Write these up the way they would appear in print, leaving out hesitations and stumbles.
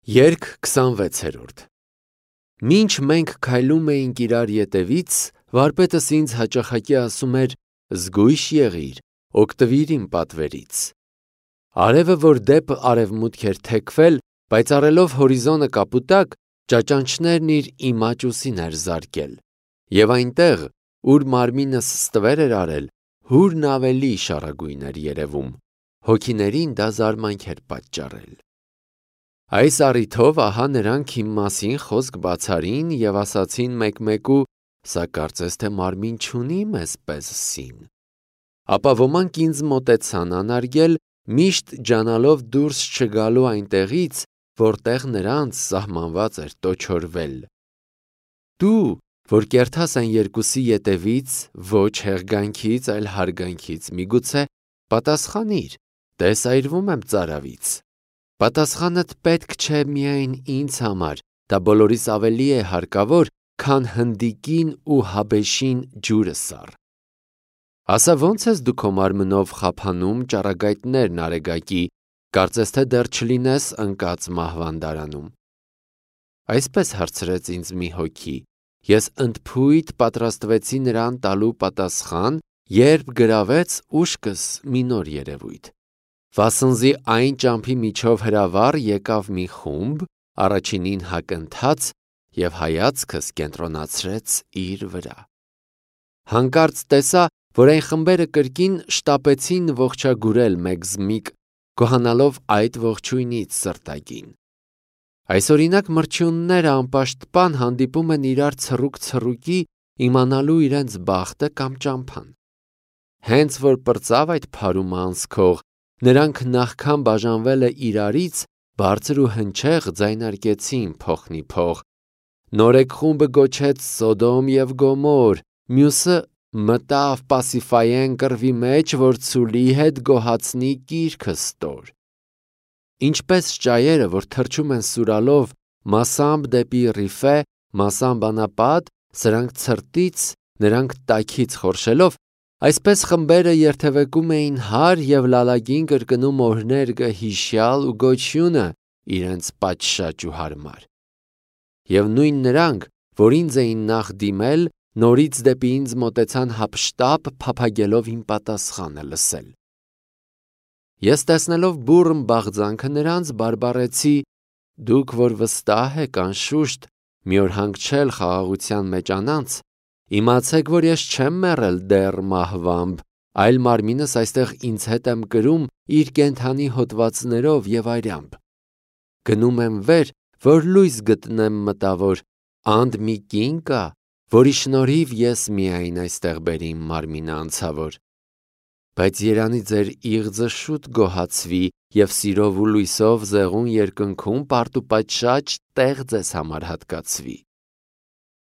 Երգ 26-րդ Մինչ մենք քայլում էինք իրար ետևից, վարպետս ինձ հաճախակի ասում էր. «Զգույշ եղիր, օգտվիր իմ պատվերից»։ Արևը, որ դեպ արևմուտք էր թեքվել, պայծառելով հորիզոնը կապուտակ, ճաճանճներն իր իմաճ ուսին էր զարկել, և այնտեղ, ուր մարմինս ստվեր էր արել, հուրն ավելի շառագույն էր երևում, հոգիներին դա զարմանք էր պատճառել։ Այս առիթով ահա նրանք իմ մասին խոսք բացարին և ասացին մեկ-մեկու. «Սա կարծես թե մարմին չունի մեզ պես սին»։ Ապա ոմանք ինձ մոտեցան անարգել, միշտ ջանալով դուրս չգալու այնտեղից, որտեղ նրանց սահմանված էր տոչորվել։ Դու, որ կերտաս այն երկուսի ետևից, ոչ հեղգանքից, այլ հարգանքից, միգուցե պատասխանիր. «Տես այրվում եմ ծարավից»։ Պատասխանդ պետք չէ միայն ինձ համար, դա բոլորիս ավելի է հարկավոր, քան հնդիկին ու հաբեշին ջուրը սառ։ Ասա ո՞նց ես դու քո մարմնով խափանում ճառագայթներն արեգակի, կարծես թե դեռ չլինես ընկած մահվանդարանում։ Այսպես հարցրեց ինձ մի հոգի, ես ընդփույթ պատրաստվեցի նրան տալու պատասխան, երբ գրավեց ուշքս մի նոր երևույթ։ Վասնզի այն ճամփի միջով հրավառ եկավ մի խումբ, առաջինին հակընթաց և հայացքս կենտրոնացրեց իր վրա։ Հանկարծ տեսա, որ այն խմբերը կրկին շտապեցին ողջագուրել մեկ-զմիկ, գոհանալով այդ ողջույնից սրտագին։ Այսօրինակ մրջյունները անպաշտպան հանդիպում են իրար ցռուկ-ցռուկի, իմանալու իրենց բախտը կամ ճամփան։ Հենց որ պրծավ այդ փարումը անցքող, նրանք նախքան բաժանվելը իրարից, բարձր ու հնչեղ ձայնարկեցին փոխնիփոխ. նորեկ խումբը գոչեց Սոդոմ և Գոմոր, մյուսը մտավ Պասիֆայեն կռվի մեջ, որ ցուլի հետ գոհացնի կիրքը ստոր։ Ինչպես ճայերը, որ թռչում են սուրալով, մասամբ դեպի Ռիֆե, մասամբ անապատ, սրանք ցրտից, նրանք տաքից խորշելով, այսպես խմբերը երթևեկում էին հար և լալագին կրկնում օրհներգը հիշյալ ու գոչյունը իրենց պատշաճ ու հարմար։ Եվ նույն նրանք, որ ինձ էին նախ դիմել, նորից դեպի ինձ մոտեցան հափշտապ փափագելով իմ պատասխանը լսել։ Ես տեսնելով բուռն բաղձանքը նրանց, բարբառեցի. «Դուք, որ վստահ եք անշուշտ մի օր հանգչել խաղաղության մեջ անանց, իմացեք, որ ես չեմ մեռել դեռ մահվամբ, այլ մարմինս այստեղ ինձ հետ եմ կրում իր կենդանի հոդվածներով և այրամբ։ Գնում եմ վեր, որ լույս գտնեմ մտավոր, անդ մի կին կա, որի շնորհիվ ես միայն այստեղ բերի իմ մարմինը անցավոր։ Բայց երանի ձեր իղձը շուտ գոհացվի և սիրով ու լույսով զեղուն երկնքում պարտուպատշաճ տեղ ձեզ համար հատկացվի։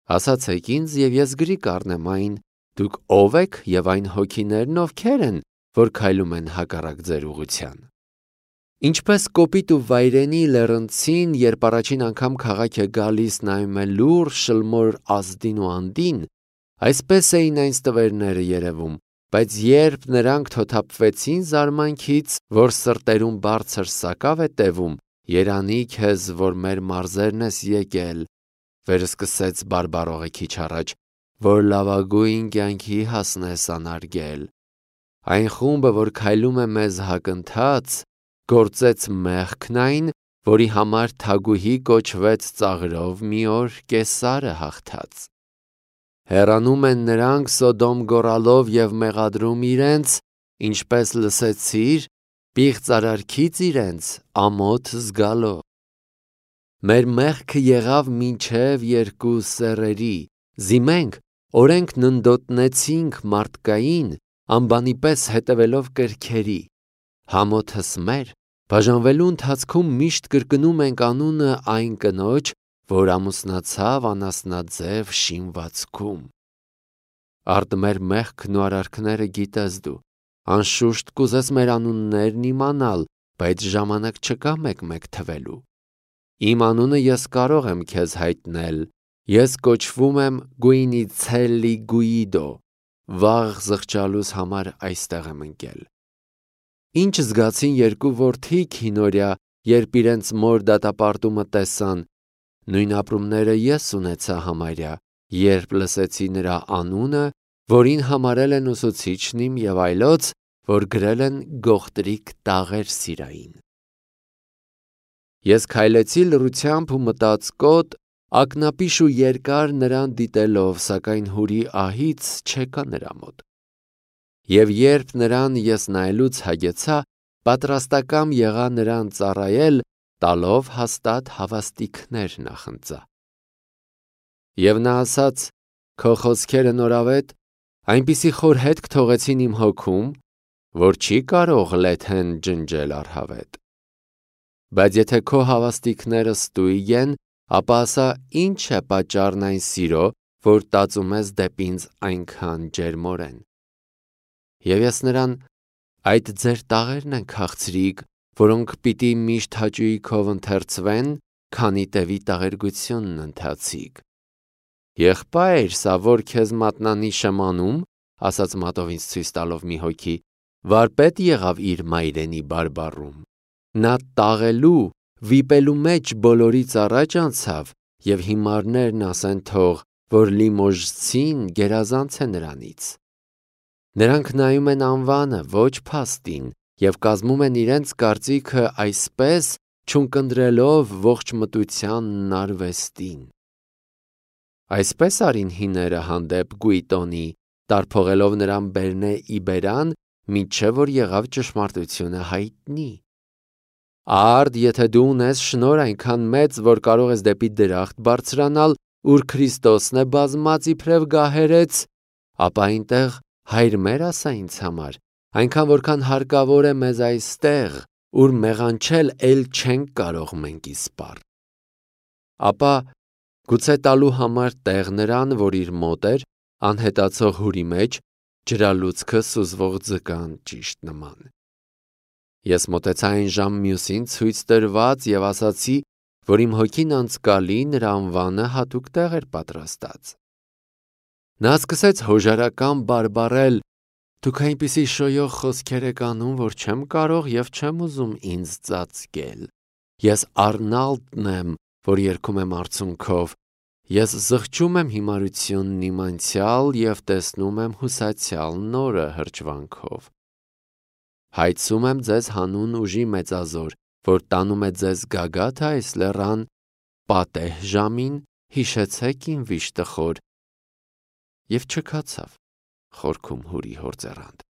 Ասացեք ինձ, և ես գրի կառնեմ այն, դուք ով եք և այն հոգիներն ովքեր են, որ քայլում են հակառակ ձեր ուղղության։ Ինչպես կոպիտ ու վայրենի լեռնցին, երբ առաջին անգամ քաղաք է գալիս, նայում է լուռ, շլմոր ազդին ու անդին, այսպես էին այն ստվերները երևում, բայց երբ նրանք թոթափվեցին զարմանքից, որ սրտերում բարձր սակավ է տևում, երանի քեզ, որ մեր մարզերն ես եկել, վերսկսեց բարբառողը քիչ առաջ, որ լավագույն կյանքի հասնես անարգել։ Այն խումբը, որ քայլում է մեզ հակընթաց, գործեց մեղքն այն, որի համար թագուհի կոչվեց ծաղրով մի օր Կեսարը հաղթած։ Հեռանում են նրանք Սոդոմ գոռալով և մեղադրում իրենց, ինչպես լսեցիր, պիղծ արարքից իրենց ամոթ զգալով։ Մեր մեղքը եղավ մինչև երկու սեռերի, զիմենք, օրենք ննդոտնեցինք մարդկային, անբանի պես հետևելով կրքերի, համոթս մեր, բաժանվելու ընթացքում միշտ կրկնում ենք անունը այն կնոջ, որ ամուսնացավ անասնաձև շինվածքում։ Արդ մեր մեղքն ու արարքները գիտես դու, անշուշտ կուզես մեր անուններն իմանալ, բայց ժամանակ չկա մեկ-մեկ թվելու։ Իմ անունը ես կարող եմ քեզ հայտնել, ես կոչվում եմ Գուինիցելի Գուիդո, վաղ զղջալուս համար այստեղ եմ ընկել։ Ինչ զգացին երկու որդի քինորյա, երբ իրենց մոր դատապարտումը տեսան, նույն ապրումները ես ունեցա համարյա, երբ լսեցի նրա անունը, որին համարել են ուսուցիչն իմ և այլոց, որ գրել են գողտրիկ տաղեր սիրային։ Ես քայլեցի լռությամբ ու մտած կոտ, ակնապիշ ու երկար նրան դիտելով, սակայն հուրի ահից չեկա նրա մոտ։ Եվ երբ նրան ես նայելուց հագեցա, պատրաստակամ եղա նրան ծառայել, տալով հաստատ հավաստիքներ նախընծա։ Եվ նա ասաց. «Քո խոսքերը նորավետ, այնպիսի խոր հետք թողեցին իմ հոգում, որ չի կարող լեթեն ջնջել առհավետ։ Բայց եթե քո հավաստիքները ստույգ են, ապա ասա ինչ է պատճառն այն սիրո, որ տածում ես դեպի ինձ այնքան ջերմորեն։ Եվ ես նրան. այդ ձեր տաղերն են քաղցրիկ, որոնք պիտի միշտ հաճույքով ընթերցվեն, քանի տևի տաղերգությունն ընթացիկ։ Եղբայր, սա որ քեզ մատնանիշ եմ անում, ասաց մատով ինձ ցույց տալով մի հոգի, վարպետ եղավ իր մայրենի բարբառում։ Նա տաղելու, վիպելու մեջ բոլորից առաջ անցավ, և հիմարներն ասեն թող, որ Լիմոժցին գերազանց է նրանից։ Նրանք նայում են անվանը, ոչ փաստին, և կազմում են իրենց կարծիքը այսպես, չունկնդրելով ողջ մտությանն արվեստին։ Այսպես արին հիները հանդեպ Գուիտոնի, տարփողելով նրան Բերնե իբերան, մինչև որ եղավ ճշմարտությունը հայտնի։ Արդ, եթե դու ունես շնոր այնքան մեծ, որ կարող ես դեպի դրախտ բարձրանալ, ուր Քրիստոսն է բազմած իբրև գահերեց, ապա այնտեղ հայր մեր ասա ինձ համար, այնքան որքան հարկավոր է մեզ այստեղ, ուր մեղանչել էլ չենք կարող մենք իսպառ։ Ապա գուցե տալու համար տեղ նրան, որ իր մոտ էր, անհետացող հուրի մեջ, ջրալուցքը սուզվող ձկան ճիշտ նման։ Ես մոտեցա այն ժամ մյուսին ցույց տրված և ասացի, որ իմ հոգին անցկալի նրա անվանը հատուկ տեղ էր պատրաստած։ Նա սկսեց հոժարական բարբառել. «Դուք այնպիսի շոյող խոսքեր եք անում, որ չեմ կարող և չեմ ուզում ինձ ծածկել։ Ես Արնալդն եմ, որ երգում եմ արցունքով։ Ես զղջում եմ հիմարությունն իմ անցյալ և տեսնում եմ հուսացյալ նորը հրճվանքով։ Հայցում եմ ձեզ հանուն ուժի մեծազոր, որ տանում է ձեզ գագաթը այս լեռան, պատեհ ժամին հիշեցեք իմ վիշտը խոր։ Եվ չքացավ խորքում հուրի հոր ձեռանդ»։